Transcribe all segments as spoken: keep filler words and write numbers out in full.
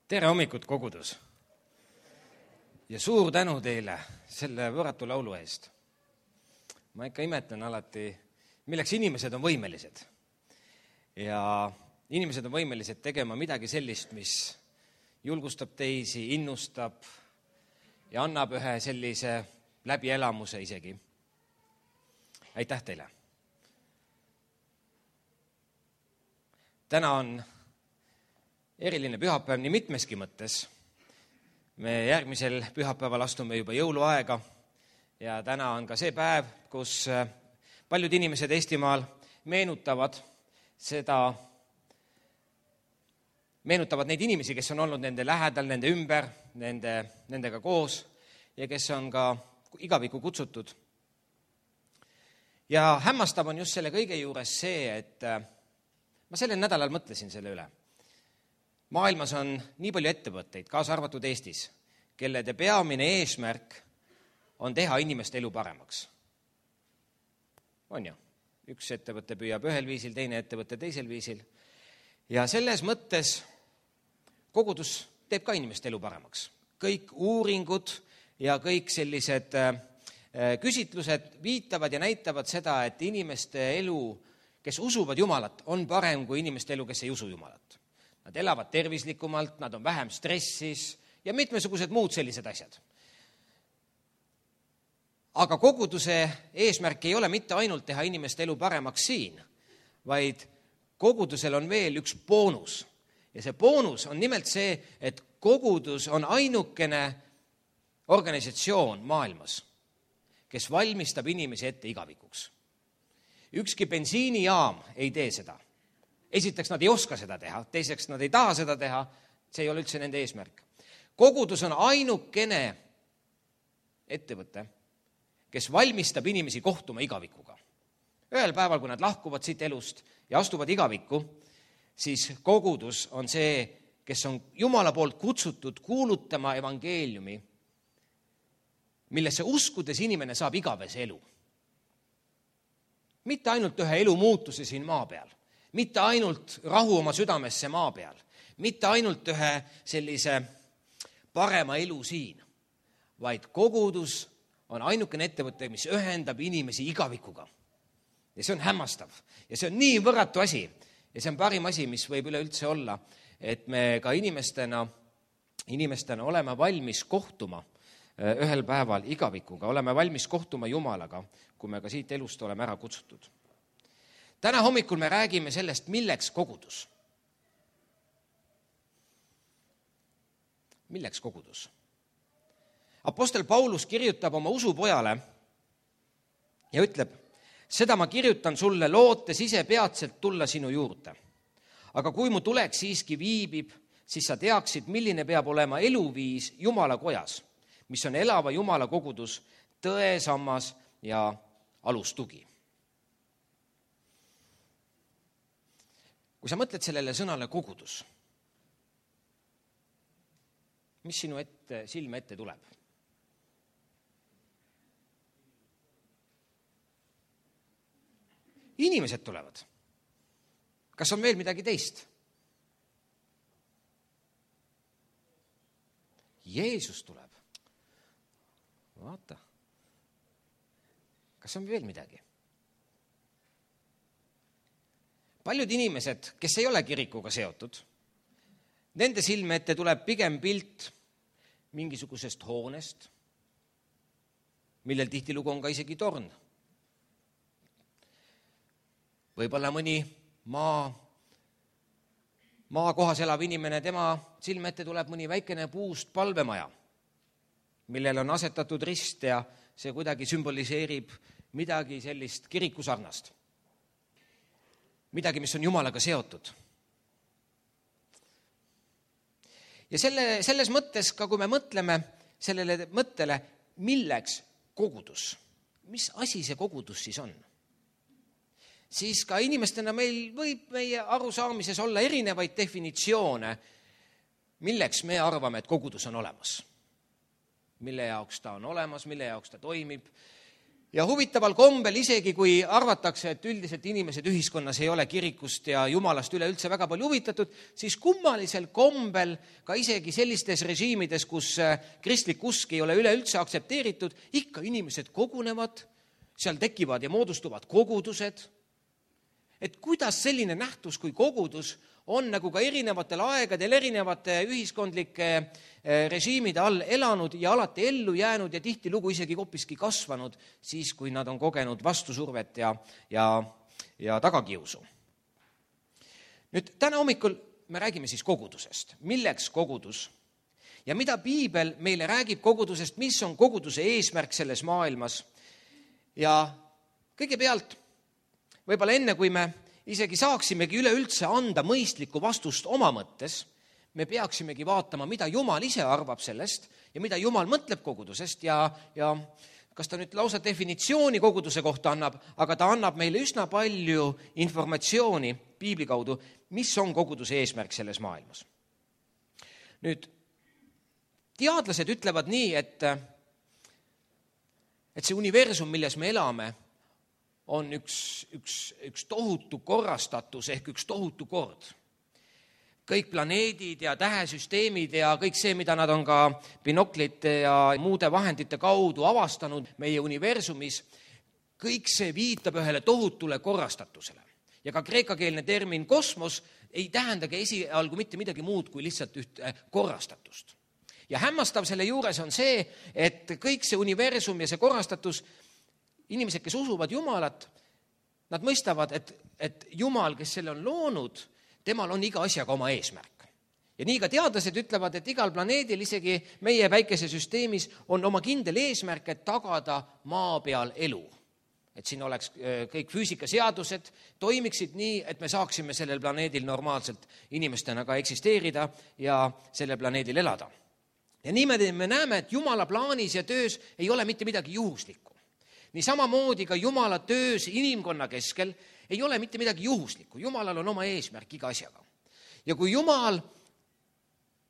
tere hommikut, kogudus! Ja suur tänu teile selle võrratu laulu eest. Ma ikka imetlen alati, milleks inimesed on võimelised. Ja inimesed on võimelised tegema midagi sellist, mis julgustab teisi, innustab ja annab ühe sellise läbielamuse isegi. Aitäh teile! Täna on eriline pühapäev nii mitmeski mõttes. Me järgmisel pühapäeval astume juba jõuluaega ja täna on ka see päev, kus paljud inimesed Eestimaal meenutavad seda, meenutavad neid inimesi, kes on olnud nende lähedal, nende ümber, nende, nendega koos ja kes on ka igaviku kutsutud. Ja hämmastav on just selle kõige juures see, et ma sellel nädalal mõtlesin selle üle. Maailmas on nii palju ettevõtteid, kaasa arvatud Eestis, kellede peamine eesmärk on teha inimeste elu paremaks. On ju? Üks ettevõte püüab ühel viisil, teine ettevõte teisel viisil. Ja selles mõttes kogudus teeb ka inimeste elu paremaks. Kõik uuringud ja kõik sellised küsitlused viitavad ja näitavad seda, et inimeste elu, kes usuvad Jumalat, on parem kui inimeste elu, kes ei usu Jumalat. Nad elavad tervislikumalt, nad on vähem stressis ja mitmesugused muud sellised asjad. Aga koguduse eesmärk ei ole mitte ainult teha inimeste elu paremaks siin, vaid kogudusel on veel üks boonus. Ja see boonus on nimelt see, et kogudus on ainukene organisatsioon maailmas, kes valmistab inimesi ette igavikuks. Ükski bensiinijaam ei tee seda. Esiteks nad ei oska seda teha, teiseks nad ei taha seda teha, see ei ole üldse nende eesmärk. Kogudus on ainukene ettevõte, kes valmistab inimesi kohtuma igavikuga. Ühel päeval, kui nad lahkuvad siit elust ja astuvad igavikku, siis kogudus on see, kes on Jumala poolt kutsutud kuulutama evangeeliumi, millesse uskudes inimene saab igavese elu. Mitte ainult ühe elu muutuse siin maa peal, mitte ainult rahu oma südamesse maa peal, mitte ainult ühe sellise parema elu siin, vaid kogudus on ainukene ettevõte, mis ühendab inimesi igavikuga. Ja see on hämmastav. Ja see on nii võrratu asi. Ja see on parim asi, mis võib üleüldse olla, et me ka inimestena, inimestena oleme valmis kohtuma ühel päeval igavikuga, oleme valmis kohtuma Jumalaga, kui me ka siit elust oleme ära kutsutud. Täna hommikul me räägime sellest, milleks kogudus. Milleks kogudus? Apostel Paulus kirjutab oma usupojale ja ütleb, seda ma kirjutan sulle lootes ise peatselt tulla sinu juurde. Aga kui mu tulek siiski viibib, siis sa teaksid, milline peab olema eluviis Jumala kojas, mis on elava Jumala kogudus, tõe, sammas ja alustugi. Kui sa mõtled sellele sõnale kogudus, mis sinu ette, silme ette tuleb? Inimesed tulevad. Kas on veel midagi teist? Jeesus tuleb. Vaata. Kas on veel midagi? Paljud inimesed, kes ei ole kirikuga seotud, nende silme ette tuleb pigem pilt mingisugusest hoonest, millel tihtilugu on ka isegi torn. Võib-olla mõni maa, maakohas elav inimene, tema silme ette tuleb mõni väikene puust palvemaja, millel on asetatud rist ja see kuidagi sümboliseerib midagi sellist kirikusarnast. Midagi, mis on Jumalaga seotud. Ja selle, selles mõttes, ka kui me mõtleme sellele mõttele, milleks kogudus, mis asi see kogudus siis on, siis ka inimestena meil võib meie arusaamises olla erinevaid definitsioone, milleks me arvame, et kogudus on olemas. Mille jaoks ta on olemas, mille jaoks ta toimib. Ja huvitaval kombel, isegi kui arvatakse, et üldiselt inimesed ühiskonnas ei ole kirikust ja jumalast üleüldse väga palju huvitatud, siis kummalisel kombel ka isegi sellistes režiimides, kus kristlik usk ei ole üleüldse aktsepteeritud, ikka inimesed kogunevad, seal tekivad ja moodustuvad kogudused. Et kuidas selline nähtus kui kogudus on nagu ka erinevatel aegadel erinevate ühiskondlike režiimide all elanud ja alati ellu jäänud ja tihtilugu isegi hoopiski kasvanud siis, kui nad on kogenud vastusurvet ja, ja, ja tagakiusu. Nüüd täna hommikul me räägime siis kogudusest. Milleks kogudus? Ja mida piibel meile räägib kogudusest, mis on koguduse eesmärk selles maailmas? Ja kõigepealt, võib-olla enne, kui me isegi saaksimegi üleüldse anda mõistlikku vastust oma mõttes, me peaksimegi vaatama, mida Jumal ise arvab sellest ja mida Jumal mõtleb kogudusest ja, ja kas ta nüüd lausa definitsiooni koguduse kohta annab, aga ta annab meile üsna palju informatsiooni piibli kaudu, mis on koguduse eesmärk selles maailmas. Nüüd, teadlased ütlevad nii, et, et see universum, milles me elame, on üks, üks, üks tohutu korrastatus ehk üks tohutu kord. Kõik planeedid ja tähesüsteemid ja kõik see, mida nad on ka binoklite ja muude vahendite kaudu avastanud meie universumis, kõik see viitab ühele tohutule korrastatusele. Ja ka kreekakeelne termin kosmos ei tähendagi esialgu mitte midagi muud kui lihtsalt ühte korrastatust. Ja hämmastav selle juures on see, et kõik see universum ja see korrastatus, inimesed, kes usuvad Jumalat, nad mõistavad, et, et Jumal, kes selle on loonud, temal on iga asjaga oma eesmärk. Ja nii ka teadlased ütlevad, et igal planeedil, isegi meie päikesesüsteemis, on oma kindel eesmärk, et tagada maa peal elu. Et siin oleks kõik füüsikaseadused, toimiksid nii, et me saaksime sellel planeedil normaalselt inimestena ka eksisteerida ja sellel planeedil elada. Ja niimoodi me näeme, et Jumala plaanis ja töös ei ole mitte midagi juhuslikku. Nii samamoodi ka Jumala töös inimkonna keskel ei ole mitte midagi juhuslikku. Jumalal on oma eesmärk iga asjaga. Ja kui Jumal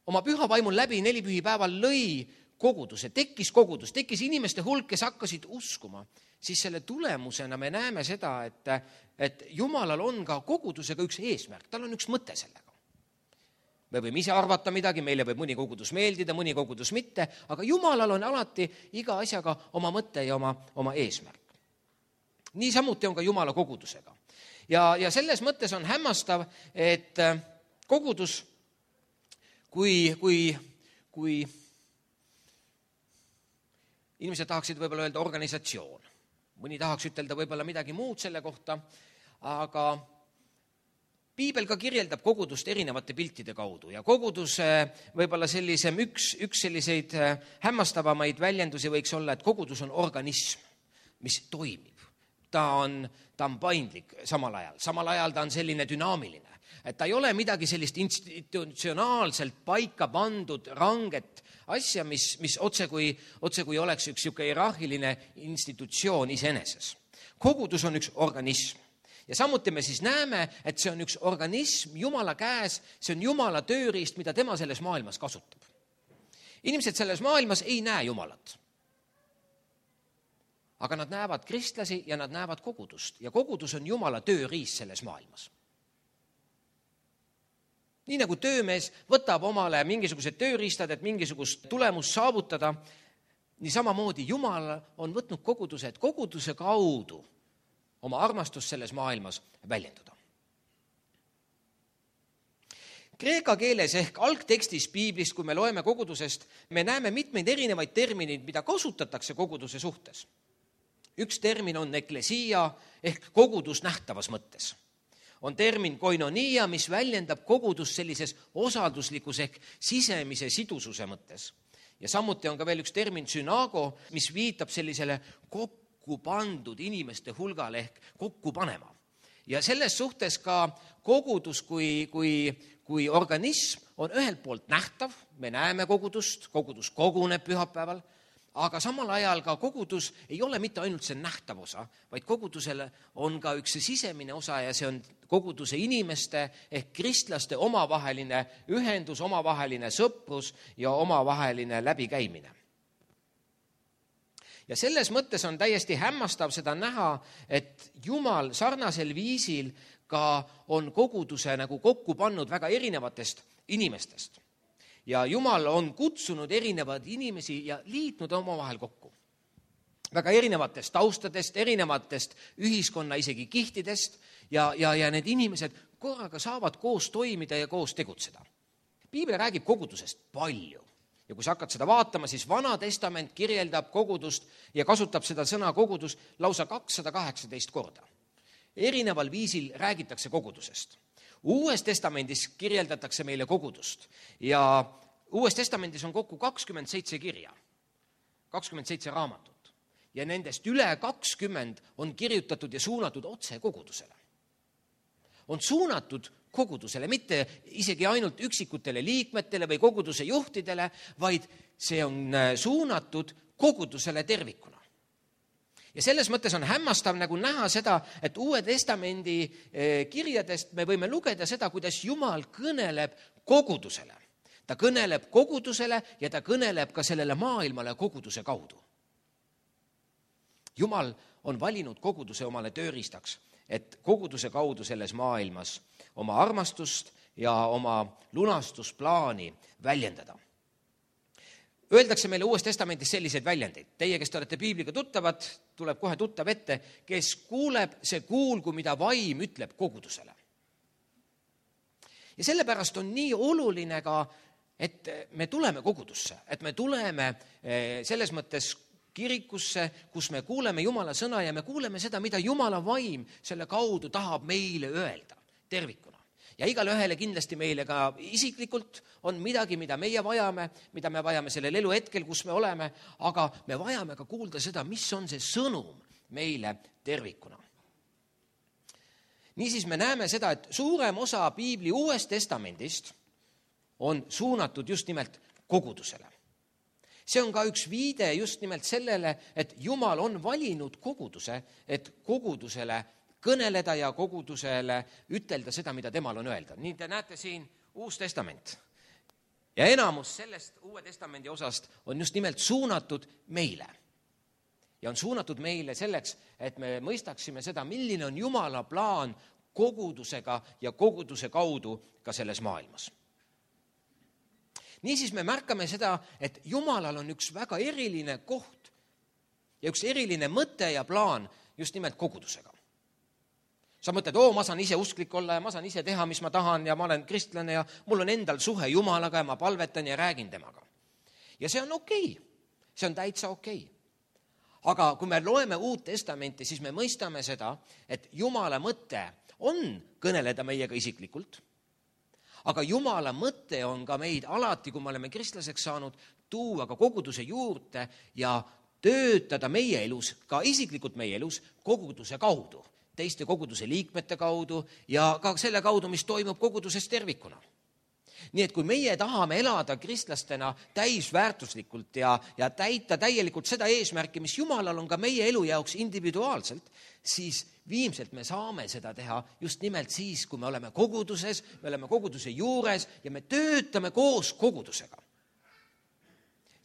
oma püha vaimul läbi neli pühipäeval lõi koguduse, tekkis kogudus, tekkis inimeste hulk, kes hakkasid uskuma, siis selle tulemusena me näeme seda, et, et Jumalal on ka kogudusega üks eesmärk, tal on üks mõte sellega. Me võime ise arvata midagi, meile võib mõni kogudus meeldida, mõni kogudus mitte, aga Jumalal on alati iga asjaga oma mõte ja oma, oma eesmärk. Nii samuti on ka Jumala kogudusega. Ja, ja selles mõttes on hämmastav, et kogudus, kui, kui, kui inimesed tahaksid võib-olla öelda organisatsioon, mõni tahaks ütelda võib-olla midagi muud selle kohta, aga piibel ka kirjeldab kogudust erinevate piltide kaudu ja kogudus võib-olla sellisem üks, üks selliseid hämmastavamaid väljendusi võiks olla, et kogudus on organism, mis toimib. Ta on, ta on paindlik samal ajal. Samal ajal ta on selline dünaamiline. Et ta ei ole midagi sellist institutsionaalselt paika pandud ranget asja, mis, mis otse kui, otse kui oleks üks siuke hierarhiline institutsioon iseeneses. Kogudus on üks organism. Ja samuti me siis näeme, et see on üks organism Jumala käes, see on Jumala tööriist, mida tema selles maailmas kasutab. Inimesed selles maailmas ei näe Jumalat. Aga nad näevad kristlasi ja nad näevad kogudust. Ja kogudus on Jumala tööriist selles maailmas. Nii nagu töömees võtab omale mingisugused tööriistad, et mingisugust tulemust saavutada, nii samamoodi Jumal on võtnud koguduse, et koguduse kaudu oma armastust selles maailmas väljenduda. Kreeka keeles ehk algtekstis piiblist, kui me loeme kogudusest, me näeme mitmeid erinevaid termineid, mida kasutatakse koguduse suhtes. Üks termin on eklesia ehk kogudus nähtavas mõttes. On termin koinonia, mis väljendab kogudus sellises osalduslikus ehk sisemise sidususe mõttes. Ja samuti on ka veel üks termin sünago, mis viitab sellisele kokku pandud inimeste hulgale ehk kokku panema. Ja selles suhtes ka kogudus kui, kui, kui organism on ühelt poolt nähtav, me näeme kogudust, kogudus koguneb pühapäeval, aga samal ajal ka kogudus ei ole mitte ainult see nähtav osa, vaid kogudusel on ka üks sisemine osa ja see on koguduse inimeste ehk kristlaste omavaheline ühendus, omavaheline sõprus ja omavaheline läbikäimine. ja selles mõttes on täiesti hämmastav seda näha, et Jumal sarnasel viisil ka on koguduse nagu kokku pannud väga erinevatest inimestest. Ja Jumal on kutsunud erinevad inimesi ja liitnud omavahel kokku. Väga erinevatest taustadest, erinevatest ühiskonna isegi kihtidest ja, ja, ja need inimesed korraga saavad koos toimida ja koos tegutseda. Piibel räägib kogudusest palju. Ja kui sa hakkad seda vaatama, siis Vana Testament kirjeldab kogudust ja kasutab seda sõna kogudus lausa kakssada kaheksateist korda. Erineval viisil räägitakse kogudusest. Uues testamendis kirjeldatakse meile kogudust ja Uues testamendis on kokku kakskümmend seitse kirja, kakskümmend seitse raamatut ja nendest üle kakskümmend on kirjutatud ja suunatud otse kogudusele. On suunatud kogudusele, mitte isegi ainult üksikutele liikmetele või koguduse juhtidele, vaid see on suunatud kogudusele tervikuna. Ja selles mõttes on hämmastav nagu näha seda, et Uue Testamendi kirjadest me võime lugeda seda, kuidas Jumal kõneleb kogudusele. Ta kõneleb kogudusele ja ta kõneleb ka sellele maailmale koguduse kaudu. Jumal on valinud koguduse omale tööriistaks, et koguduse kaudu selles maailmas oma armastust ja oma lunastusplaani väljendada. Öeldakse meile Uues Testamendis selliseid väljendeid. Teie, kes te olete piibliga tuttavad, tuleb kohe tuttav ette, kes kuuleb, see kuulgu, mida vaim ütleb kogudusele. Ja sellepärast on nii oluline ka, et me tuleme kogudusse, et me tuleme selles mõttes kirikusse, kus me kuuleme Jumala sõna ja me kuuleme seda, mida Jumala vaim selle kaudu tahab meile öelda tervikuna. Ja igale ühele kindlasti meile ka isiklikult on midagi, mida meie vajame, mida me vajame sellel elu hetkel, kus me oleme, aga me vajame ka kuulda seda, mis on see sõnum meile tervikuna. Niisiis me näeme seda, et suurem osa Piibli Uuest Testamendist on suunatud just nimelt kogudusele. See on ka üks viide just nimelt sellele, et Jumal on valinud koguduse, et kogudusele kõneleda ja kogudusele ütelda seda, mida temal on öelda. Nii te näete siin Uus Testament. Ja enamus sellest Uue Testamendi osast on just nimelt suunatud meile. Ja on suunatud meile selleks, et me mõistaksime seda, milline on Jumala plaan kogudusega ja koguduse kaudu ka selles maailmas. Niisiis me märkame seda, et Jumalal on üks väga eriline koht ja üks eriline mõte ja plaan just nimelt kogudusega. Sa mõtled, oo, ma saan ise usklik olla ja ma saan ise teha, mis ma tahan ja ma olen kristlane ja mul on endal suhe Jumalaga ja ma palvetan ja räägin temaga. Ja see on okei, see on täitsa okei. Aga kui me loeme Uut Testamenti, siis me mõistame seda, et Jumala mõte on kõneleda meiega isiklikult, aga Jumala mõte on ka meid alati, kui me oleme kristlaseks saanud, tuua ka koguduse juurde ja töötada meie elus, ka isiklikult meie elus, koguduse kaudu, teiste koguduse liikmete kaudu ja ka selle kaudu, mis toimub koguduses tervikuna. Nii et kui meie tahame elada kristlastena täisväärtuslikult ja, ja täita täielikult seda eesmärki, mis Jumalal on ka meie elu jaoks individuaalselt, siis viimselt me saame seda teha just nimelt siis, kui me oleme koguduses, me oleme koguduse juures ja me töötame koos kogudusega.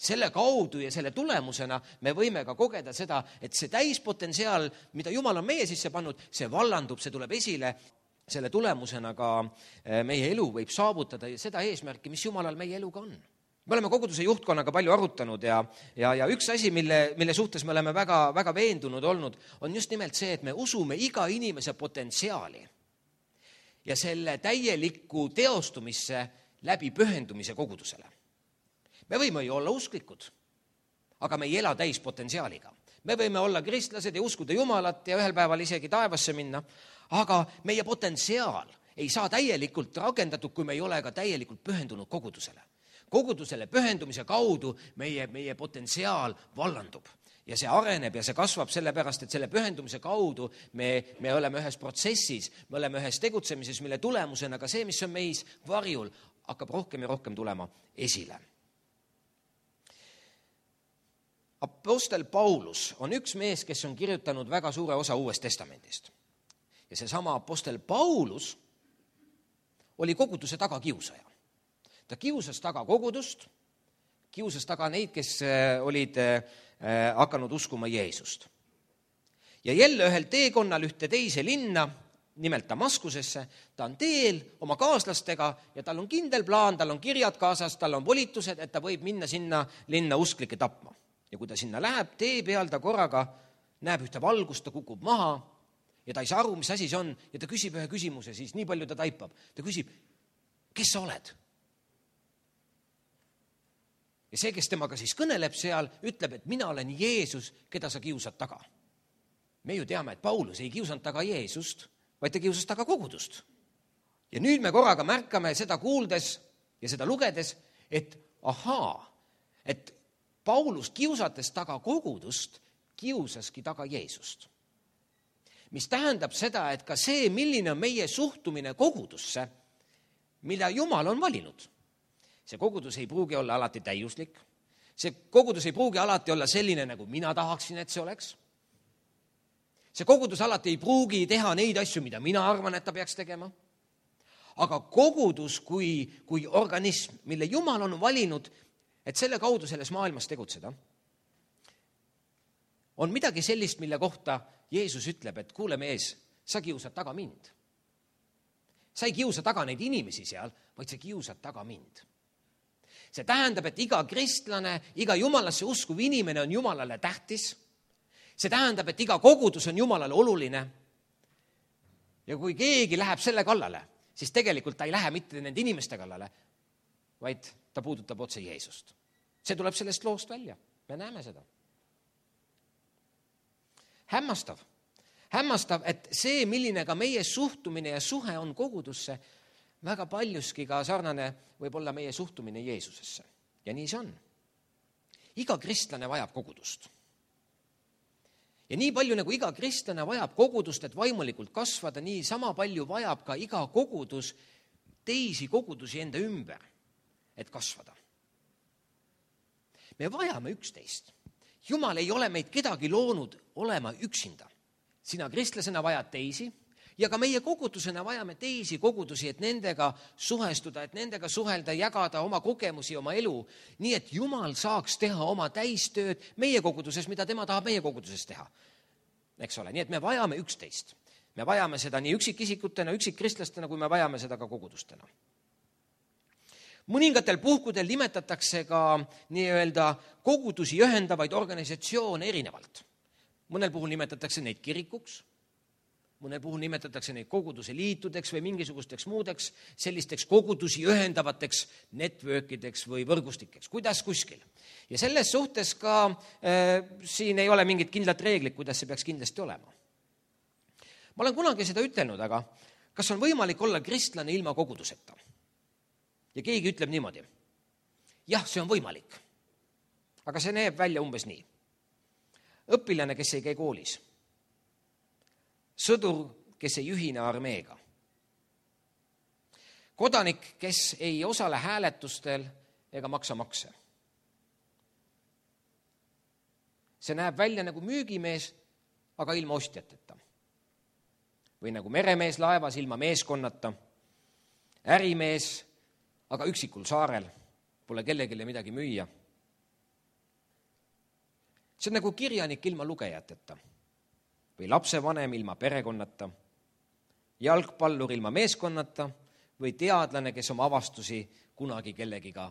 Selle kaudu ja selle tulemusena me võime ka kogeda seda, et see täispotentsiaal, mida Jumal on meie sisse pannud, see vallandub, see tuleb esile. Selle tulemusena ka meie elu võib saavutada seda eesmärki, mis Jumalal meie eluga on. Me oleme koguduse juhtkonnaga palju arutanud ja, ja, ja üks asi, mille, mille suhtes me oleme väga, väga veendunud olnud, on just nimelt see, et me usume iga inimese potentsiaali ja selle täielikku teostumisse läbi pühendumise kogudusele. Me võime ju olla usklikud, aga me ei ela täispotentsiaaliga. Me võime olla kristlased ja uskuda Jumalat ja ühel päeval isegi taevasse minna, aga meie potentsiaal ei saa täielikult rakendatud, kui me ei ole ka täielikult pühendunud kogudusele. Kogudusele pühendumise kaudu meie, meie potentsiaal vallandub ja see areneb ja see kasvab sellepärast, et selle pühendumise kaudu me, me oleme ühes protsessis, me oleme ühes tegutsemises, mille tulemusena ka see, mis on meis varjul, hakkab rohkem ja rohkem tulema esile. Apostel Paulus on üks mees, kes on kirjutanud väga suure osa Uuest Testamendist. Ja seesama apostel Paulus oli koguduse taga kiusaja. Ta kiusas taga kogudust, kiusas taga neid, kes olid hakanud uskuma Jeesust. Ja jälle ühel teekonnal ühte teise linna, nimelt Damaskusesse, ta on teel oma kaaslastega ja tal on kindel plaan, tal on kirjad kaasas, tal on volitused, et ta võib minna sinna linna usklikke tapma. Ja kui ta sinna läheb, tee peal ta korraga näeb ühte valgust, ta kukub maha ja ta ei saa aru, mis asi see on ja ta küsib ühe küsimuse, siis nii palju ta taipab. Ta küsib, kes sa oled? Ja see, kes temaga siis kõneleb seal, ütleb, et mina olen Jeesus, keda sa kiusad taga. Me ju teame, et Paulus ei kiusanud taga Jeesust, vaid ta kiusas taga kogudust. Ja nüüd me korraga märkame seda kuuldes ja seda lugedes, et ahaa, et Paulus kiusates taga kogudust, kiusaski taga Jeesust. Mis tähendab seda, et ka see, milline on meie suhtumine kogudusse, mida Jumal on valinud. See kogudus ei pruugi olla alati täiuslik. See kogudus ei pruugi alati olla selline, nagu mina tahaksin, et see oleks. See kogudus alati ei pruugi teha neid asju, mida mina arvan, et ta peaks tegema. Aga kogudus kui, kui organism, mille Jumal on valinud, et selle kaudu selles maailmas tegutseda, on midagi sellist, mille kohta Jeesus ütleb, et kuule mees, sa kiusad taga mind. Sa ei kiusa taga neid inimesi seal, vaid sa kiusad taga mind. See tähendab, et iga kristlane, iga Jumalasse uskuv inimene on Jumalale tähtis. See tähendab, et iga kogudus on Jumalale oluline. Ja kui keegi läheb selle kallale, siis tegelikult ta ei lähe mitte nende inimeste kallale, vaid ta puudutab otse Jeesust. See tuleb sellest loost välja. Me näeme seda. Hämmastav. Hämmastav, et see, milline ka meie suhtumine ja suhe on kogudusse, väga paljuski ka sarnane võib olla meie suhtumine Jeesusesse. Ja nii see on. Iga kristlane vajab kogudust. Ja nii palju, nagu iga kristlane vajab kogudust, et vaimulikult kasvada, nii sama palju vajab ka iga kogudus teisi kogudusi enda ümber, et kasvada. Me vajame üksteist. Jumal ei ole meid kedagi loonud olema üksinda. Sina kristlasena vajad teisi ja ka meie kogudusena vajame teisi kogudusi, et nendega suhestuda, et nendega suhelda, jagada oma kogemusi, oma elu, nii et Jumal saaks teha oma täistööd meie koguduses, mida tema tahab meie koguduses teha. Eks ole, nii et me vajame üksteist. Me vajame seda nii üksikisikutena, üksikristlastena, kui me vajame seda ka kogudustena. Mõningatel puhkudel nimetatakse ka nii-öelda kogudusi ühendavaid organisatsioone erinevalt. Mõnel puhul nimetatakse neid kirikuks, mõnel puhul nimetatakse neid koguduse liitudeks või mingisugusteks muudeks sellisteks kogudusi ühendavateks networkideks või võrgustikeks, kuidas kuskil. Ja selles suhtes ka äh, siin ei ole mingit kindlat reeglit, kuidas see peaks kindlasti olema. Ma olen kunagi seda ütelnud, aga kas on võimalik olla kristlane ilma koguduseta? Ja keegi ütleb niimoodi, jah, see on võimalik, aga see näeb välja umbes nii. Õpilane, kes ei käi koolis, sõdur, kes ei ühine armeega, kodanik, kes ei osale hääletustel ega maksa makse. See näeb välja nagu müügimees, aga ilma ostjateta. Või nagu meremees laevas ilma meeskonnata, ärimees, aga üksikul saarel, pole kellegile midagi müüa. See on nagu kirjanik ilma lugejateta või lapsevanem ilma perekonnata, jalgpallur ilma meeskonnata või teadlane, kes oma avastusi kunagi kellegiga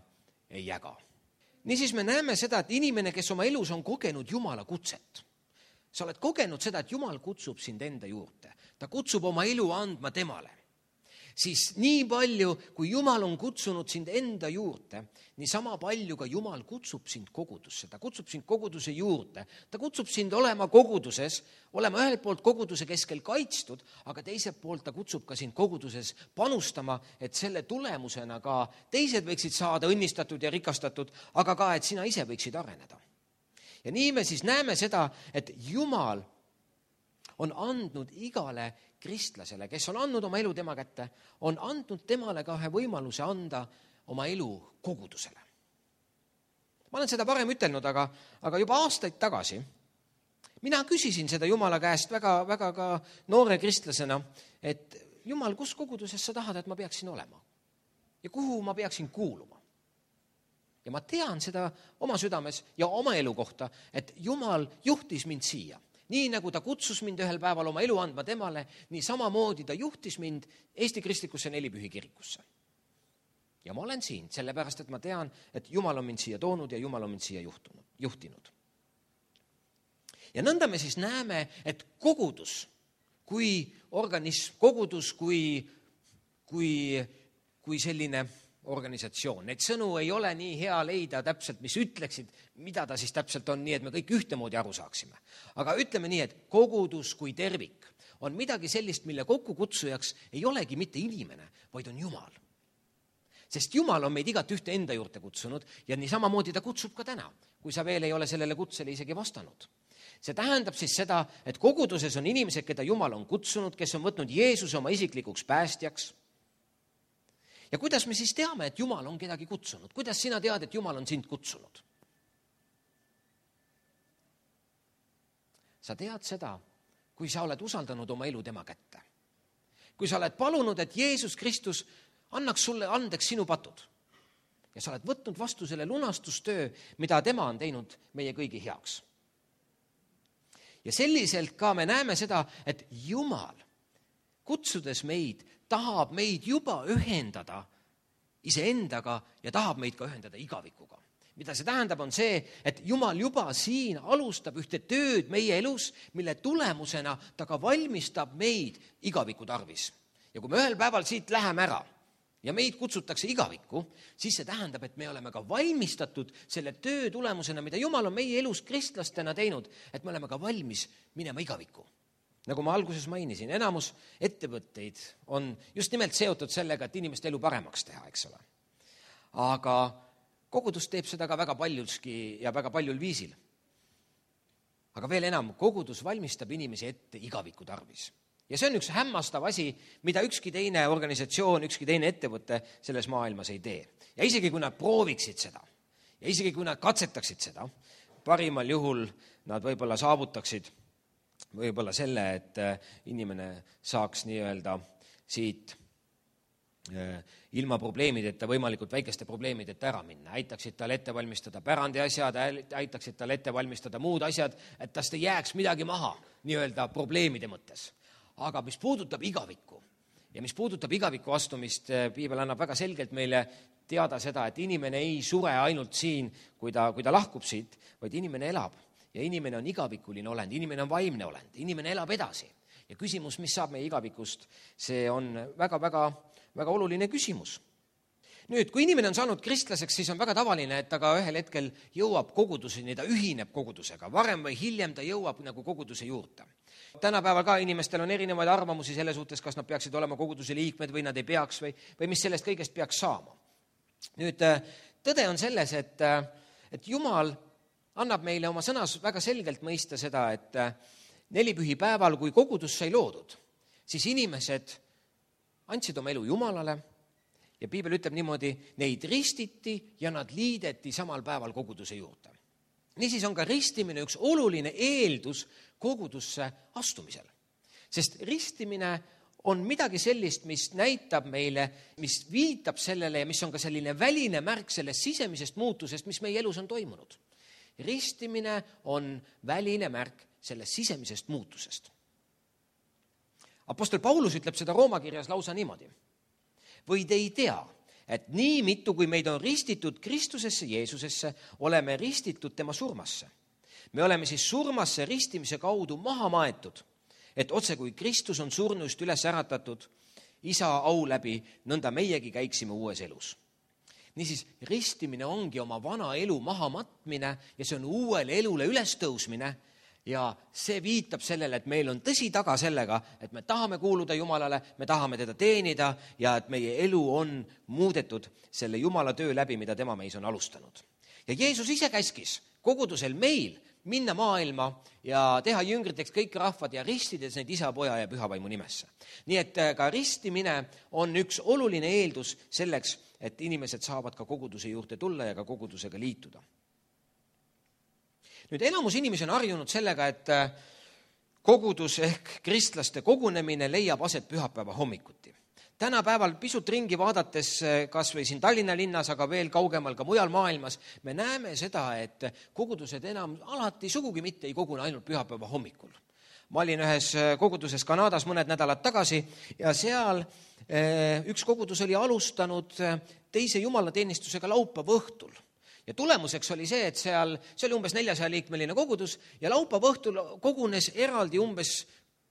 ei jaga. Niisiis me näeme seda, et inimene, kes oma elus on kogenud Jumala kutset, sa oled kogenud seda, et Jumal kutsub sind enda juurde. Ta kutsub oma elu andma temale. Siis nii palju, kui Jumal on kutsunud sind enda juurde, nii sama palju ka Jumal kutsub sind kogudusse. Ta kutsub sind koguduse juurde. Ta kutsub sind olema koguduses, olema ühelt poolt koguduse keskel kaitstud, aga teiselt poolt ta kutsub ka sind koguduses panustama, et selle tulemusena ka teised võiksid saada õnnistatud ja rikastatud, aga ka, et sina ise võiksid areneda. Ja nii me siis näeme seda, et Jumal on andnud igale kristlasele, kes on andnud oma elu tema kätte, on andnud temale ka ühe võimaluse anda oma elu kogudusele. Ma olen seda varem ütelnud, aga, aga juba aastaid tagasi mina küsisin seda Jumala käest väga, väga ka noore kristlasena, et Jumal, kus koguduses sa tahad, et ma peaksin olema? Ja kuhu ma peaksin kuuluma? Ja ma tean seda oma südames ja oma elu kohta, et Jumal juhtis mind siia. Nii nagu ta kutsus mind ühel päeval oma elu andma temale, nii samamoodi ta juhtis mind Eesti Kristlikusse Nelipühi kirikusse. Ja ma olen siin, sellepärast, et ma tean, et Jumal on mind siia toonud ja Jumal on mind siia juhtunud, juhtinud. Ja nõnda me siis näeme, et kogudus kui organism, kogudus kui, kui, kui selline organisatsioon. Neid sõnu ei ole nii hea leida täpselt, mis ütleksid, mida ta siis täpselt on, nii et me kõik ühtemoodi aru saaksime. Aga ütleme nii, et kogudus kui tervik on midagi sellist, mille kokkukutsujaks ei olegi mitte inimene, vaid on Jumal. Sest Jumal on meid igat ühte enda juurde kutsunud ja nii samamoodi ta kutsub ka täna, kui sa veel ei ole sellele kutsele isegi vastanud. See tähendab siis seda, et koguduses on inimesed, keda Jumal on kutsunud, kes on võtnud Jeesuse oma isiklikuks päästjaks. Ja kuidas me siis teame, et Jumal on kedagi kutsunud? Kuidas sina tead, et Jumal on sind kutsunud? Sa tead seda, kui sa oled usaldanud oma elu tema kätte. Kui sa oled palunud, et Jeesus Kristus annaks sulle andeks sinu patud. Ja sa oled võtnud vastu selle lunastustöö, mida tema on teinud meie kõigi heaks. Ja selliselt ka me näeme seda, et Jumal, kutsudes meid, tahab meid juba ühendada iseendaga ja tahab meid ka ühendada igavikuga. Mida see tähendab, on see, et Jumal juba siin alustab ühte tööd meie elus, mille tulemusena ta ka valmistab meid igaviku tarvis. Ja kui me ühel päeval siit läheme ära ja meid kutsutakse igavikku, siis see tähendab, et me oleme ka valmistatud selle töö tulemusena, mida Jumal on meie elus kristlastena teinud, et me oleme ka valmis minema igavikku. Nagu ma alguses mainisin, enamus ettevõtteid on just nimelt seotud sellega, et inimeste elu paremaks teha, eks ole. Aga kogudus teeb seda ka väga paljuski ja väga paljul viisil. Aga veel enam, kogudus valmistab inimesi ette igaviku tarvis. Ja see on üks hämmastav asi, mida ükski teine organisatsioon, ükski teine ettevõte selles maailmas ei tee. Ja isegi kui nad prooviksid seda, ja isegi kui nad katsetaksid seda, parimal juhul nad võib-olla saavutaksid võib-olla selle, et inimene saaks nii-öelda siit ilma probleemideta, võimalikult väikeste probleemideta ära minna. Aitaksid tal ette valmistada pärandi asjad, aitaksid tal ette valmistada muud asjad, et tast ei jääks midagi maha nii-öelda probleemide mõttes. Aga mis puudutab igavikku ja mis puudutab igavikku astumist, Piibel annab väga selgelt meile teada seda, et inimene ei sure ainult siin, kui ta, kui ta lahkub siit, vaid inimene elab. Ja inimene on igavikuline olend, inimene on vaimne olend, inimene elab edasi. Ja küsimus, mis saab meie igavikust, see on väga, väga, väga oluline küsimus. Nüüd, kui inimene on saanud kristlaseks, siis on väga tavaline, et ta ka ühel hetkel jõuab koguduseni, ta ühineb kogudusega. Varem või hiljem ta jõuab nagu koguduse juurde. Tänapäeval ka inimestel on erinevaid arvamusi selle suhtes, kas nad peaksid olema koguduse liikmed või nad ei peaks või, või mis sellest kõigest peaks saama. Nüüd, tõde on selles, et, et Jumal annab meile oma sõnas väga selgelt mõista seda, et nelipühi päeval, kui kogudus sai loodud, siis inimesed andsid oma elu Jumalale ja Piibel ütleb niimoodi, neid ristiti ja nad liideti samal päeval koguduse juurde. Niisiis on ka ristimine üks oluline eeldus kogudusse astumisel. Sest ristimine on midagi sellist, mis näitab meile, mis viitab sellele ja mis on ka selline väline märk sellest sisemisest muutusest, mis meie elus on toimunud. Ristimine on väline märk sellest sisemisest muutusest. Apostel Paulus ütleb seda Rooma kirjas lausa niimoodi. Või te ei tea, et nii mitu, kui meid on ristitud Kristusesse, Jeesusesse, oleme ristitud tema surmasse. Me oleme siis surmasse ristimise kaudu maha maetud, et otse kui Kristus on surnuist üles äratatud, isa au läbi, nõnda meiegi käiksime uues elus. Niisiis, ristimine ongi oma vana elu maha matmine ja see on uuele elule ülestõusmine ja see viitab sellele, et meil on tõsi taga sellega, et me tahame kuuluda Jumalale, me tahame teda teenida ja et meie elu on muudetud selle Jumala töö läbi, mida tema meis on alustanud. Ja Jeesus ise käskis kogudusel meil minna maailma ja teha jüngriteks kõik rahvad ja ristides neid isa, poja ja pühavaimu nimesse. Nii et ka ristimine on üks oluline eeldus selleks, et inimesed saavad ka koguduse juurde tulla ja ka kogudusega liituda. Nüüd enamus inimesi on harjunud sellega, et kogudus ehk kristlaste kogunemine leiab aset pühapäeva hommikuti. tänapäeval pisut ringi vaadates, kas või siin Tallinna linnas, aga veel kaugemal ka mujal maailmas, me näeme seda, et kogudused enam alati sugugi mitte ei kogune ainult pühapäeva hommikul. Ma olin ühes koguduses Kanadas mõned nädalad tagasi ja seal üks kogudus oli alustanud teise jumalateenistusega laupäeva õhtul. Ja tulemuseks oli see, et seal, see oli umbes neljasaja liikmeline kogudus ja laupäeva õhtul kogunes eraldi umbes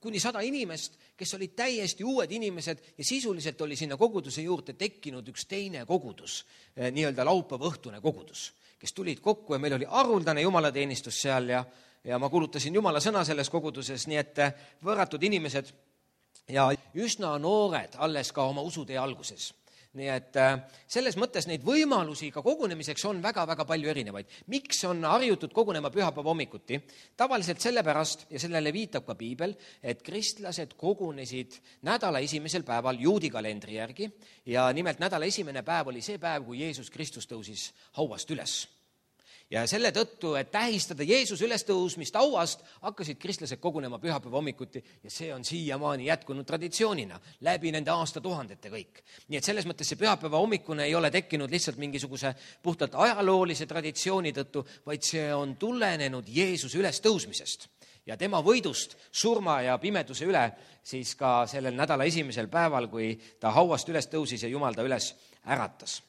kuni sada inimest, kes olid täiesti uued inimesed ja sisuliselt oli sinna koguduse juurde tekkinud üks teine kogudus, nii-öelda laupäeva õhtune kogudus, kes tulid kokku ja meil oli haruldane jumalateenistus seal ja, ja ma kuulutasin Jumala sõna selles koguduses, nii et võõratud inimesed ja üsna noored alles ka oma usutee alguses. Nii et selles mõttes neid võimalusi ka kogunemiseks on väga-väga palju erinevaid. Miks on harjutud kogunema pühapäeva hommikuti? Tavaliselt sellepärast, ja sellele viitab ka piibel, et kristlased kogunesid nädala esimesel päeval juudi kalendri järgi ja nimelt nädala esimene päev oli see päev, kui Jeesus Kristus tõusis hauast üles. Ja selle tõttu, et tähistada Jeesus ülestõusmist hauast, hakkasid kristlased kogunema pühapäeva hommikuti ja see on siiamaani jätkunud traditsioonina läbi nende aastatuhandete kõik. Nii et selles mõttes see pühapäeva hommikune ei ole tekkinud lihtsalt mingisuguse puhtalt ajaloolise traditsiooni tõttu, vaid see on tulenenud Jeesuse ülestõusmisest ja tema võidust surma ja pimeduse üle siis ka sellel nädala esimesel päeval, kui ta hauast üles tõusis ja Jumal ta üles äratas.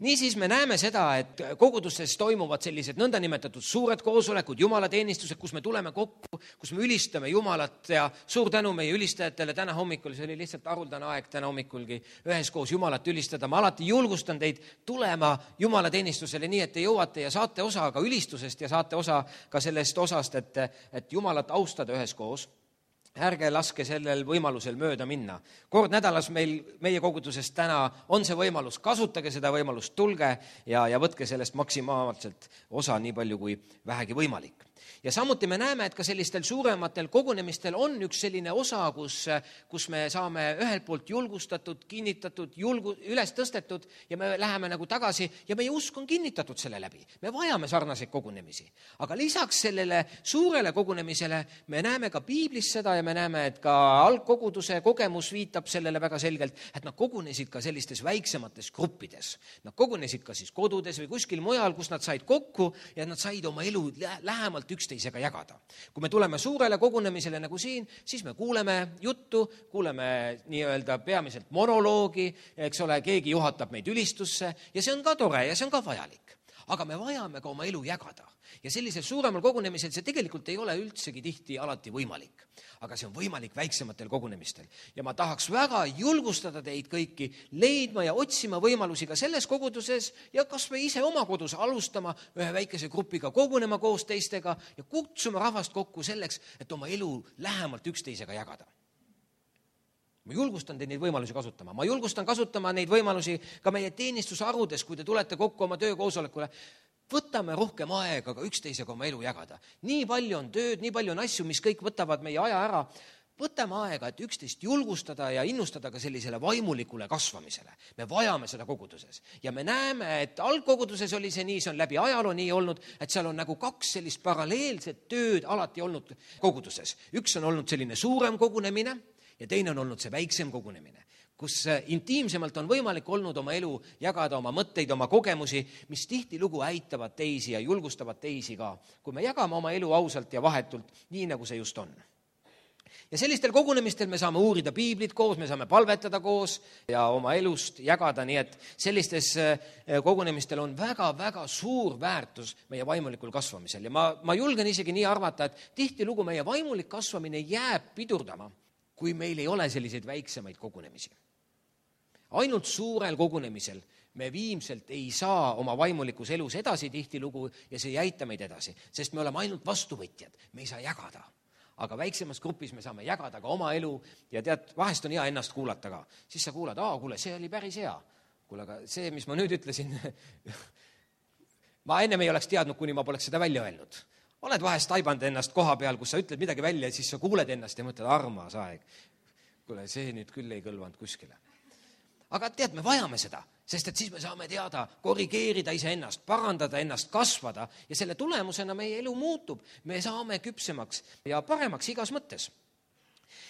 Niisiis me näeme seda, et kogudustes toimuvad sellised nõndanimetatud suured koosolekud, jumalateenistused, kus me tuleme kokku, kus me ülistame Jumalat ja suur tänu meie ülistajatele täna hommikul, see oli lihtsalt haruldane aeg täna hommikulgi üheskoos Jumalat ülistada. Ma alati julgustan teid tulema jumalateenistusele nii, et te jõuate ja saate osa ka ülistusest ja saate osa ka sellest osast, et, et Jumalat austada üheskoos. Ärge laske sellel võimalusel mööda minna. Kord nädalas meil, meie koguduses täna on see võimalus, kasutage seda võimalust, tulge ja, ja võtke sellest maksimaalselt osa nii palju kui vähegi võimalik. Ja samuti me näeme, et ka sellistel suurematel kogunemistel on üks selline osa, kus, kus me saame ühelt poolt julgustatud, kinnitatud, julgu, üles tõstetud ja me läheme nagu tagasi ja meie usk on kinnitatud selle läbi. Me vajame sarnaseid kogunemisi. Aga lisaks sellele suurele kogunemisele me näeme ka piiblis seda ja me näeme, et ka algkoguduse kogemus viitab sellele väga selgelt, et nad kogunesid ka sellistes väiksemates gruppides. Nad kogunesid ka siis kodudes või kuskil mujal, kus nad said kokku ja nad said oma elu lähemalt üksteisega jagada. Kui me tuleme suurele kogunemisele nagu siin, siis me kuuleme juttu, kuuleme nii-öelda peamiselt monoloogi, eks ole, keegi juhatab meid ülistusse ja see on ka tore ja see on ka vajalik. Aga me vajame ka oma elu jagada. Ja sellisel suuremal kogunemisel see tegelikult ei ole üldsegi tihti alati võimalik. Aga see on võimalik väiksematel kogunemistel. Ja ma tahaks väga julgustada teid kõiki leidma ja otsima võimalusi ka selles koguduses ja kas me ise oma kodus alustama ühe väikese grupiga kogunema koos teistega ja kutsuma rahvast kokku selleks, et oma elu lähemalt üksteisega jagada. Ma julgustan teid neid võimalusi kasutama. Ma julgustan kasutama neid võimalusi ka meie teenistusharudes, kui te tulete kokku oma töökoosolekule. Võtame rohkem aega ka üksteisega oma elu jagada. Nii palju on tööd, nii palju on asju, mis kõik võtavad meie aja ära. Võtame aega, et üksteist julgustada ja innustada ka sellisele vaimulikule kasvamisele. Me vajame seda koguduses. Ja me näeme, et algkoguduses oli see nii, see on läbi ajaloo nii olnud, et seal on nagu kaks sellist paralleelset tööd alati olnud koguduses. Üks on olnud selline suurem kogunemine ja teine on olnud see väiksem kogunemine, kus intiimsemalt on võimalik olnud oma elu jagada, oma mõtteid, oma kogemusi, mis tihtilugu äitavad teisi ja julgustavad teisi ka, kui me jagame oma elu ausalt ja vahetult, nii nagu see just on. Ja sellistel kogunemistel me saame uurida piiblit koos, me saame palvetada koos ja oma elust jagada, nii et sellistes kogunemistel on väga-väga suur väärtus meie vaimulikul kasvamisel. Ja ma, ma julgen isegi nii arvata, et tihtilugu meie vaimulik kasvamine jääb pidurdama, kui meil ei ole selliseid väiksemaid kogunemisi. Ainult suurel kogunemisel me viimselt ei saa oma vaimulikus elus edasi tihtilugu ja see ei jäita meid edasi, sest me oleme ainult vastuvõtjad, me ei saa jagada. Aga väiksemas grupis me saame jagada ka oma elu ja tead, vahest on hea ennast kuulata ka. Siis sa kuulad, aa, kuule, see oli päris hea. Kuule, aga see, mis ma nüüd ütlesin, ma ennem ei oleks teadnud, kuni ma poleks seda välja öelnud. Oled vahest taibanud ennast koha peal, kus sa ütled midagi välja ja siis sa kuuled ennast ja mõtled, armas aeg. Kuule, see nüüd küll ei kõlvanud kuskile. Aga tead, me vajame seda, sest et siis me saame teada, korrigeerida iseennast, parandada ennast, kasvada ja selle tulemusena meie elu muutub. Me saame küpsemaks ja paremaks igas mõttes.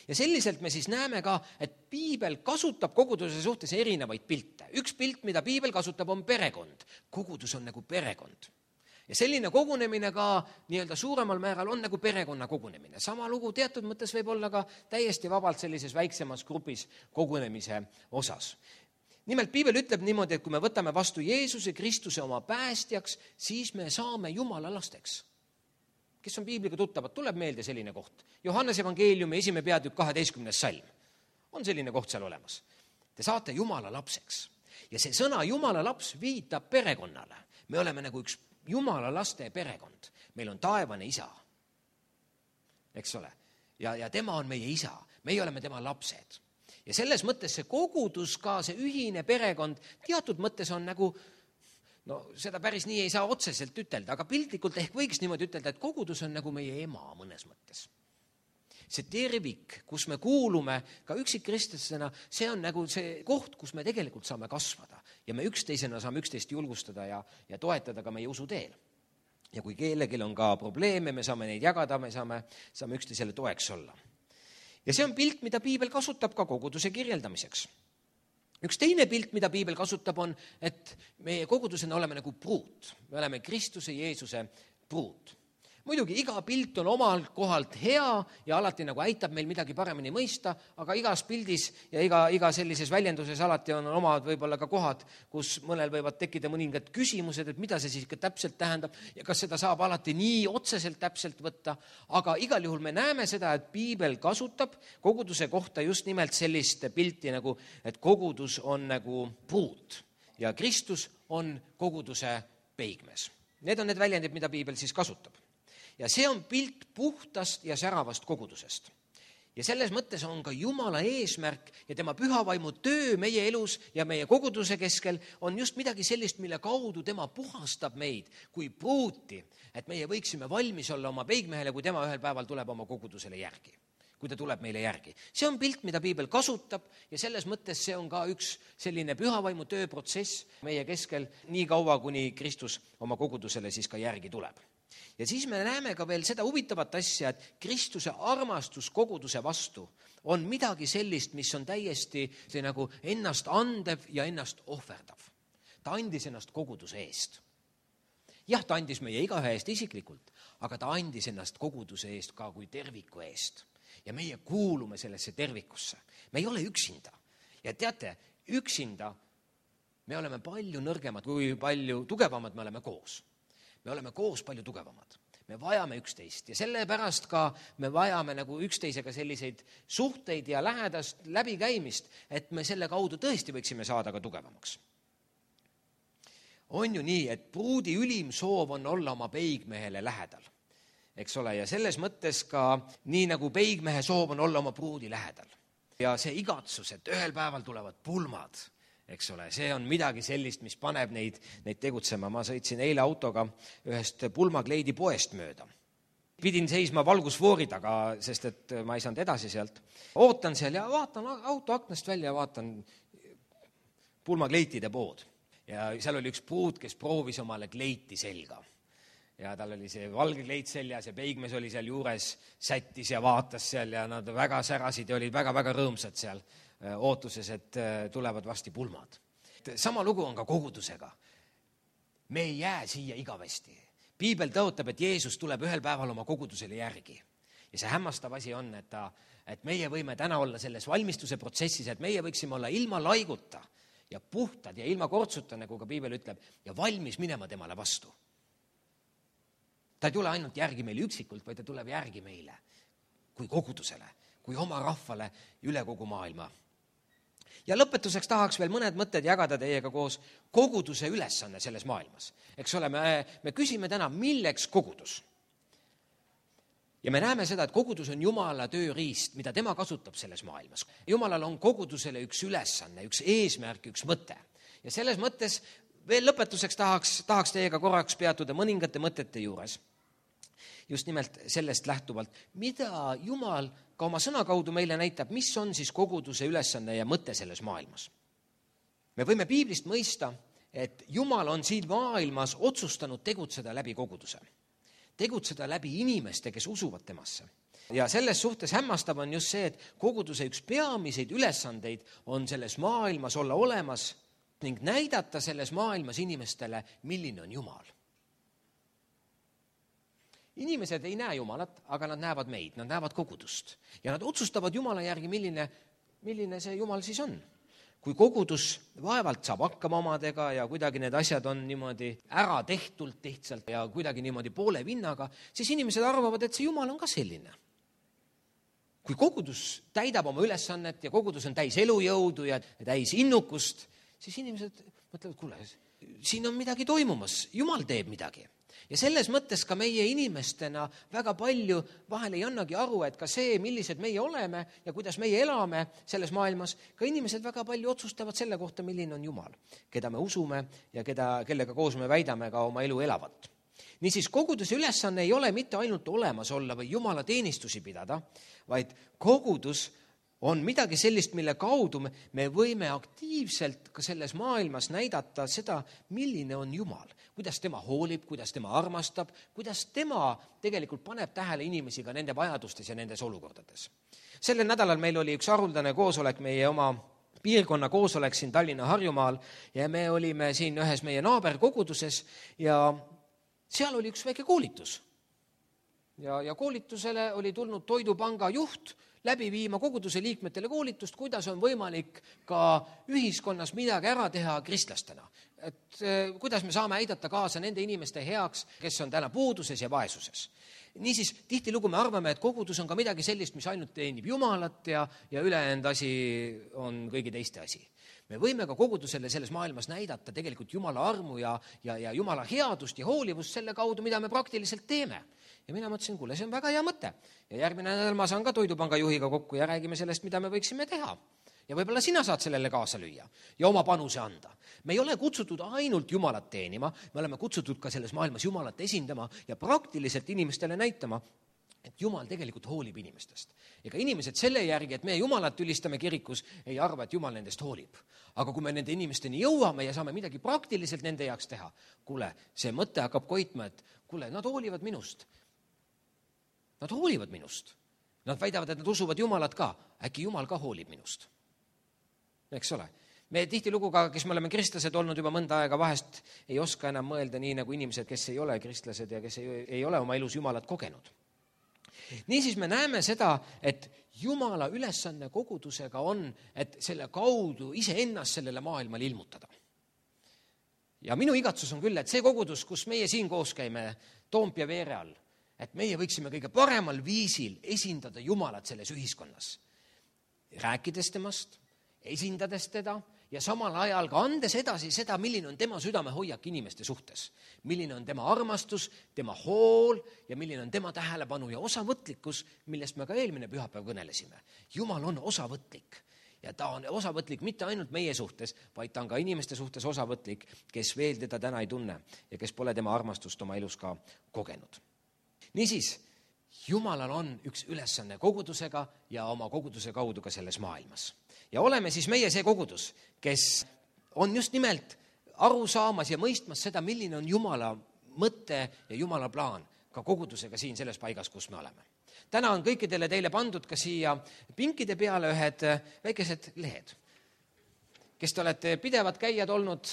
ja selliselt me siis näeme ka, et piibel kasutab koguduse suhtes erinevaid pilte. Üks pilt, mida piibel kasutab, on perekond. Kogudus on nagu perekond. Ja selline kogunemine ka nii-öelda suuremal määral on nagu perekonna kogunemine. Sama lugu teatud mõttes võib olla ka täiesti vabalt sellises väiksemas grupis kogunemise osas. Nimelt piibel ütleb niimoodi, et kui me võtame vastu Jeesuse Kristuse oma päästjaks, siis me saame Jumala lasteks. Kes on piibliga tuttavad, tuleb meelde selline koht. Johannes evangeeliumi esimene peatükk kaheteistkümnes salm. On selline koht seal olemas. Te saate Jumala lapseks. Ja see sõna Jumala laps viitab perekonnale. Me oleme nagu üks Jumala laste perekond. Meil on taevane isa. Eks ole? Ja, ja tema on meie isa. Meie oleme tema lapsed. Ja selles mõttes see kogudus ka, see ühine perekond, teatud mõttes on nagu, no seda päris nii ei saa otseselt ütelda, aga piltlikult ehk võiks niimoodi ütelda, et kogudus on nagu meie ema mõnes mõttes. See tervik, kus me kuulume ka üksikkristlasena, see on nagu see koht, kus me tegelikult saame kasvada ja me üksteisena saame üksteist julgustada ja, ja toetada ka meie usuteel. Ja kui kellelgi on ka probleeme, me saame neid jagada, me saame, saame üksteisele toeks olla. Ja see on pilt, mida piibel kasutab ka koguduse kirjeldamiseks. Üks teine pilt, mida piibel kasutab, on, et meie kogudusena oleme nagu pruut. Me oleme Kristuse Jeesuse pruut. Muidugi iga pilt on omal kohalt hea ja alati nagu aitab meil midagi paremini mõista, aga igas pildis ja iga, iga sellises väljenduses alati on omad võib-olla ka kohad, kus mõnel võivad tekkida mõningad küsimused, et mida see siis ikka täpselt tähendab ja kas seda saab alati nii otseselt täpselt võtta. Aga igal juhul me näeme seda, et piibel kasutab koguduse kohta just nimelt sellist pilti nagu, et kogudus on nagu pruut ja Kristus on koguduse peigmees. Need on need väljendid, mida piibel siis kasutab. Ja see on pilt puhtast ja säravast kogudusest. Ja selles mõttes on ka Jumala eesmärk ja tema pühavaimu töö meie elus ja meie koguduse keskel on just midagi sellist, mille kaudu tema puhastab meid kui pruuti, et meie võiksime valmis olla oma peigmehele, kui tema ühel päeval tuleb oma kogudusele järgi, kui ta tuleb meile järgi. See on pilt, mida piibel kasutab ja selles mõttes see on ka üks selline pühavaimu tööprotsess meie keskel nii kaua, kuni Kristus oma kogudusele siis ka järgi tuleb. Ja siis me näeme ka veel seda huvitavat asja, et Kristuse armastus koguduse vastu on midagi sellist, mis on täiesti see nagu ennast andev ja ennast ohverdav. Ta andis ennast koguduse eest. Jah, ta andis meie igaühe eest isiklikult, aga ta andis ennast koguduse eest ka kui terviku eest. Ja meie kuulume sellesse tervikusse. Me ei ole üksinda. Ja teate, üksinda me oleme palju nõrgemad, kui palju tugevamad me oleme koos. Me oleme koos palju tugevamad. Me vajame üksteist ja sellepärast ka me vajame nagu üksteisega selliseid suhteid ja lähedast läbikäimist, et me selle kaudu tõesti võiksime saada ka tugevamaks. On ju nii, et pruudi ülim soov on olla oma peigmehele lähedal. Eks ole, ja selles mõttes ka nii nagu peigmehe soov on olla oma pruudi lähedal. Ja see igatsus, et ühel päeval tulevad pulmad, eks ole, see on midagi sellist, mis paneb neid, neid tegutsema. Ma sõitsin eile autoga ühest pulmakleidi poest mööda. Pidin seisma valgusfoori taga, sest et ma ei saanud edasi sealt. Ootan seal ja vaatan auto aknast välja ja vaatan pulmakleitide pood. Ja seal oli üks pruut, kes proovis omale kleiti selga. Ja tal oli see valge kleit seljas ja peigmees oli seal juures, sättis ja vaatas seal ja nad väga särasid ja olid väga-väga rõõmsad seal ootuses, et tulevad vasti pulmad. Sama lugu on ka kogudusega. Me ei jää siia igavesti. Piibel tõotab, et Jeesus tuleb ühel päeval oma kogudusele järgi. Ja see hämmastav asi on, et, ta, et meie võime täna olla selles valmistuse protsessis, et meie võiksime olla ilma laiguta ja puhtad ja ilma kortsuta, nagu ka Piibel ütleb, ja valmis minema temale vastu. Ta ei tule ainult järgi meile üksikult, vaid ta tuleb järgi meile kui kogudusele, kui oma rahvale üle kogu maailma. Ja lõpetuseks tahaks veel mõned mõtted jagada teiega koos koguduse ülesanne selles maailmas. Eks ole, me, me küsime täna, milleks kogudus? Ja me näeme seda, et kogudus on Jumala tööriist, mida tema kasutab selles maailmas. Jumalal on kogudusele üks ülesanne, üks eesmärk, üks mõte. Ja selles mõttes veel lõpetuseks tahaks, tahaks teiega korraks peatuda mõningate mõtete juures. Just nimelt sellest lähtuvalt, mida Jumal ka oma sõna kaudu meile näitab, mis on siis koguduse ülesanne ja mõte selles maailmas. Me võime piiblist mõista, et Jumal on siin maailmas otsustanud tegutseda läbi koguduse. Tegutseda läbi inimeste, kes usuvad temasse. ja selles suhtes hämmastav on just see, et koguduse üks peamiseid ülesandeid on selles maailmas olla olemas ning näidata selles maailmas inimestele, milline on Jumal. Inimesed ei näe Jumalat, aga nad näevad meid, nad näevad kogudust ja nad otsustavad Jumala järgi, milline, milline see Jumal siis on. Kui kogudus vaevalt saab hakkama omadega ja kuidagi need asjad on niimoodi ära tehtult lihtsalt ja kuidagi niimoodi poole vinnaga, siis inimesed arvavad, et see Jumal on ka selline. Kui kogudus täidab oma ülesannet ja kogudus on täis elujõudu ja täis innukust, siis inimesed mõtlevad, kuule, siin on midagi toimumas, Jumal teeb midagi. Ja selles mõttes ka meie inimestena väga palju vahel ei annagi aru, et ka see, millised meie oleme ja kuidas meie elame selles maailmas, ka inimesed väga palju otsustavad selle kohta, milline on Jumal, keda me usume ja keda, kellega koos me väidame ka oma elu elavat. Niisiis koguduse ülesanne ei ole mitte ainult olemas olla või Jumala teenistusi pidada, vaid kogudus on midagi sellist, mille kaudu me võime aktiivselt ka selles maailmas näidata seda, milline on Jumal, kuidas tema hoolib, kuidas tema armastab, kuidas tema tegelikult paneb tähele inimesi ka nende vajadustes ja nendes olukordades. Sellel nädalal meil oli üks haruldane koosolek, meie oma piirkonna koosolek siin Tallinna Harjumaal ja me olime siin ühes meie naaberkoguduses ja seal oli üks väike koolitus. Ja, ja koolitusele oli tulnud Toidupanga juht läbi viima koguduse liikmetele koolitust, kuidas on võimalik ka ühiskonnas midagi ära teha kristlastena. Et kuidas me saame aidata kaasa nende inimeste heaks, kes on täna puuduses ja vaesuses. Niisiis, tihtilugu me arvame, et kogudus on ka midagi sellist, mis ainult teenib Jumalat ja, ja ülejäänud asi on kõigi teiste asi. Me võime ka kogudusele selles maailmas näidata tegelikult Jumala armu ja, ja, ja Jumala headust ja hoolivust selle kaudu, mida me praktiliselt teeme. Ja mina mõtlesin, kuule, see on väga hea mõte. Ja järgmine nädal ma saan ka Toidupanga juhiga kokku ja räägime sellest, mida me võiksime teha. Ja võib-olla sina saad sellele kaasa lüüa ja oma panuse anda. Me ei ole kutsutud ainult Jumalat teenima, me oleme kutsutud ka selles maailmas Jumalat esindama ja praktiliselt inimestele näitama, et Jumal tegelikult hoolib inimestest. Ega inimesed selle järgi, et me Jumalat ülistame kirikus, ei arva, et Jumal nendest hoolib. Aga kui me nende inimesteni jõuame ja saame midagi praktiliselt nende jaoks teha, kuule, see mõte hakkab koitma, et kuule, nad hoolivad minust. Nad hoolivad minust. Nad väidavad, et nad usuvad Jumalat ka. Äkki Jumal ka hoolib minust. Eks ole. Me tihtilugu ka, kes me oleme kristlased olnud juba mõnda aega, vahest ei oska enam mõelda nii nagu inimesed, kes ei ole kristlased ja kes ei, ei ole oma elus Jumalat kogenud. Niisiis me näeme seda, et Jumala ülesanne kogudusega on, et selle kaudu iseennast sellele maailmale ilmutada. Ja minu igatsus on küll, et see kogudus, kus meie siin koos käime Toompea veere all, et meie võiksime kõige paremal viisil esindada Jumalat selles ühiskonnas. Rääkides temast, esindades teda ja samal ajal ka andes edasi seda, milline on tema südamehoiak inimeste suhtes. Milline on tema armastus, tema hool ja milline on tema tähelepanu ja osavõtlikkus, millest me ka eelmine pühapäev kõnelesime. Jumal on osavõtlik ja ta on osavõtlik mitte ainult meie suhtes, vaid ta on ka inimeste suhtes osavõtlik, kes veel teda täna ei tunne ja kes pole tema armastust oma elus ka kogenud. Niisiis, Jumalal on üks ülesanne kogudusega ja oma koguduse kaudu ka selles maailmas. Ja oleme siis meie see kogudus, kes on just nimelt aru saamas ja mõistmas seda, milline on Jumala mõte ja Jumala plaan ka kogudusega siin selles paigas, kus me oleme. Täna on kõikidele teile pandud ka siia pinkide peale ühed väikesed lehed. Kes te olete pidevad käijad olnud,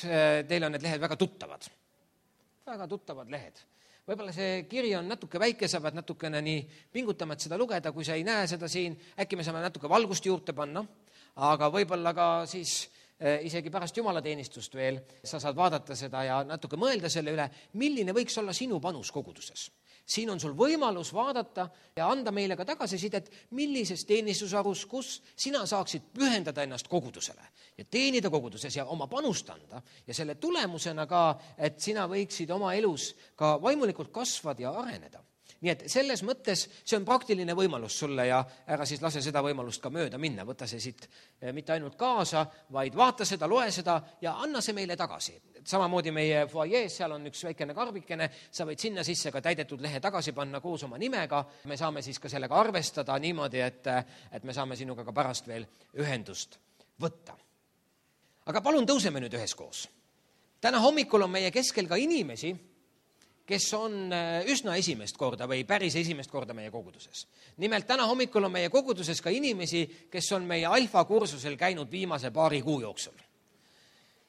teil on need lehed väga tuttavad. Väga tuttavad lehed. Võib-olla see kiri on natuke väike, sa pead natukene nii pingutama, et seda lugeda, kui sa ei näe seda siin, äkki me saame natuke valgust juurde panna, aga võib-olla ka siis isegi pärast jumalateenistust veel sa saad vaadata seda ja natuke mõelda selle üle, milline võiks olla sinu panus koguduses. Siin on sul võimalus vaadata ja anda meile ka tagasisidet, millises teenistusarus, kus sina saaksid pühendada ennast kogudusele ja teenida koguduses ja oma panust anda ja selle tulemusena ka, et sina võiksid oma elus ka vaimulikult kasvada ja areneda. Nii et selles mõttes see on praktiline võimalus sulle ja ära siis lase seda võimalust ka mööda minna. Võta see siit mitte ainult kaasa, vaid vaata seda, loe seda ja anna see meile tagasi. Samamoodi meie foajees, seal on üks väikene karbikene, sa võid sinna sisse ka täidetud lehe tagasi panna koos oma nimega. Me saame siis ka sellega arvestada niimoodi, et, et me saame sinuga ka pärast veel ühendust võtta. Aga palun tõuseme nüüd üheskoos. Täna hommikul on meie keskel ka inimesi, kes on üsna esimest korda või päris esimest korda meie koguduses. Nimelt täna hommikul on meie koguduses ka inimesi, kes on meie alfakursusel käinud viimase paari kuu jooksul.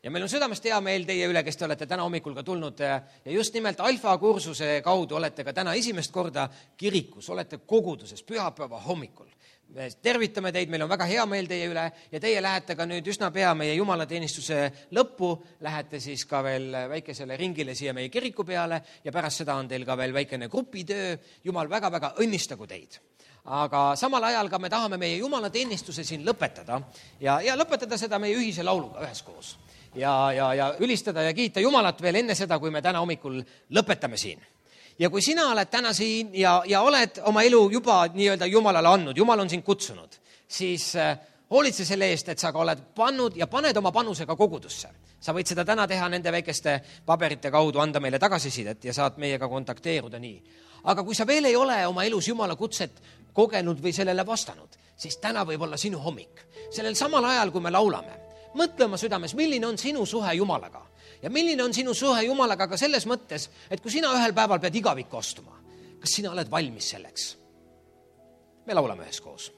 Ja meil on südamest hea meel teie üle, kes te olete täna hommikul ka tulnud ja just nimelt alfakursuse kaudu olete ka täna esimest korda kirikus, olete koguduses pühapäeva hommikul. Me tervitame teid, meil on väga hea meel teie üle ja teie lähete ka nüüd üsna pea meie jumalateenistuse lõppu, lähete siis ka veel väikesele ringile siia meie kiriku peale ja pärast seda on teil ka veel väikene grupitöö. Jumal väga-väga õnnistagu teid. Aga samal ajal ka me tahame meie jumalateenistuse siin lõpetada ja, ja lõpetada seda meie ühise lauluga üheskoos. Ja, ja, ja ülistada ja kiita Jumalat veel enne seda, kui me täna hommikul lõpetame siin. Ja kui sina oled täna siin ja, ja oled oma elu juba nii-öelda Jumalale andnud, Jumal on sind kutsunud, siis hoolitse selle eest, et sa ka oled pannud ja paned oma panusega kogudusse. Sa võid seda täna teha nende väikeste paberite kaudu, anda meile tagasisidet ja saad meiega kontakteeruda nii. Aga kui sa veel ei ole oma elus Jumala kutset kogenud või sellele vastanud, siis täna võib olla sinu hommik. Sellel samal ajal, kui me laulame, mõtle oma südames, milline on sinu suhe Jumalaga ja milline on sinu suhe Jumalaga ka selles mõttes, et kui sina ühel päeval pead igavikku astuma, kas sina oled valmis selleks? Me laulame üheskoos.